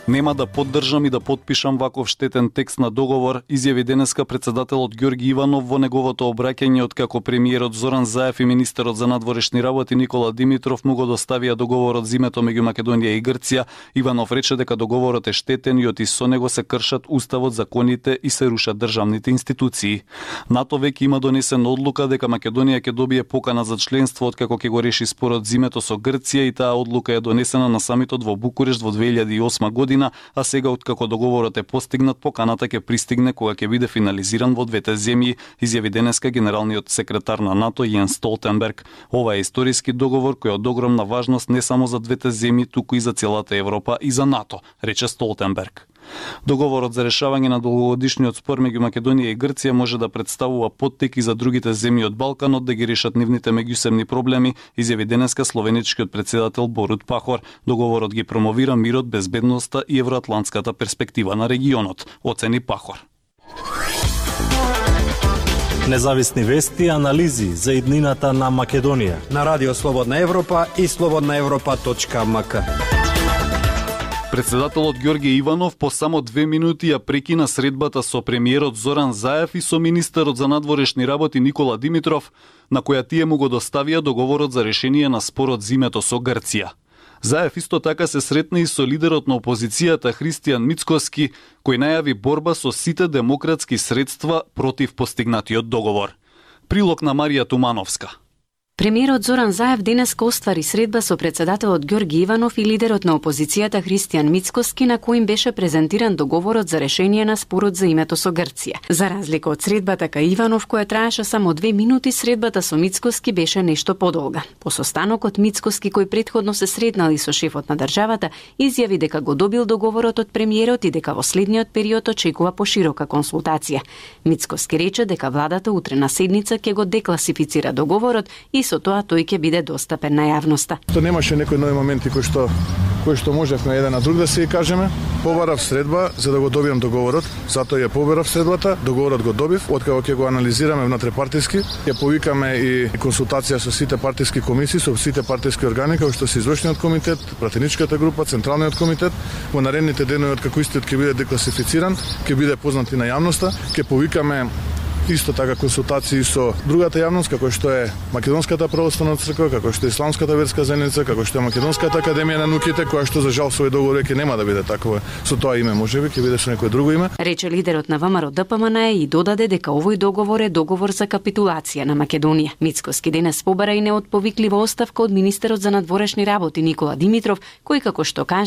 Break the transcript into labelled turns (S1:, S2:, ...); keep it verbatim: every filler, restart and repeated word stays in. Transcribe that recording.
S1: Нема да поддржам и да потпишам ваков штетен текст на договор, изјави денеска председателот Ѓорги Иванов во неговото обраќање откако премиерот Зоран Заев и министерот за надворешни работи Никола Димитров му го доставија договорот за името меѓу Македонија и Грција. Иванов рече дека договорот е штетен и оти со него се кршат уставот, законите и се рушат државните институции. НАТО веќе има донесена одлука дека Македонија ќе добие покана за членство откако ќе го реши спорот за името со Грција и таа одлука е донесена на самитот во Букурешт во две илјади и осма година. А сега откако договорот е постигнат, поканата ќе пристигне кога ќе биде финализиран во двете земји, изјави денеска генералниот секретар на НАТО Јенс Столтенберг. Ова е историски договор кој е од огромна важност не само за двете земји, туку и за целата Европа и за НАТО, рече Столтенберг. Договорот за решавање на долгогодишниот спор меѓу Македонија и Грција може да представува поттик и за другите земји од Балканот да ги решат нивните меѓусебни проблеми, изјави денеска словеничкиот претседател Борут Пахор. Договорот ги промовира мирот, безбедноста и евроатлантската перспектива на регионот, оцени Пахор.
S2: Независни вести и анализи за иднината на Македонија
S3: на Радио Слободна Европа и слободна европа точка ем ка.
S1: Председателот Ѓорги Иванов по само две минути ја прекина средбата со премиерот Зоран Заев и со министерот за надворешни работи Никола Димитров, на која тие му го доставија договорот за решение на спорот за името со Грција. Заев исто така се сретна и со лидерот на опозицијата Христијан Мицкоски, кој најави борба со сите демократски средства против постигнатиот договор. Прилог на Марија Тумановска.
S4: Премиерот Зоран Заев денеска оствари средба со председателот Ѓорги Иванов и лидерот на опозицијата Христијан Мицкоски, на кој им беше презентиран договорот за решение на спорот за името со Грција. За разлика од средбата кај Иванов, која траеше само две минути, средбата со Мицкоски беше нешто подолга. По состанокот Мицкоски, кој претходно се сретнал и со шефот на државата, изјави дека го добил договорот од премиерот и дека во следниот период очекува поширока консултација. Мицкоски рече дека владата утре на седница ќе го декласифицира договорот и со тоа тој ќе биде достапен на јавноста.
S5: То немаше некои нови моменти кои што кои што можевме еден на друг да се кажеме. Побарав средба за да го добиам договорот, затоа ја побарав средбата, договорот го добив, откако ќе го анализираме внатре-партиски, ќе повикаме и консултација со сите партиски комисии, со сите партиски органи, како што се извршниот комитет, пратеничката група, централниот комитет. Во наредните денови откако истиот ќе биде декласифициран, ќе биде познат и на јавноста, ќе повикаме исто така консултации со другата јавност, како што е Македонската православна црква, како што е Исламската верска заедница, како што е Македонската академија на науките, која што за жал свој договор ќе нема да биде такова со тоа име, можеби ќе биде со некое друго име.
S4: Рече лидерот на ВМРО Д П М Н и додаде дека овој договор е договор за капитулација на Македонија. Мицкоски денес побара и неотповиклива оставка од министерот за надворешни работи Никола Димитров, кој како што кажа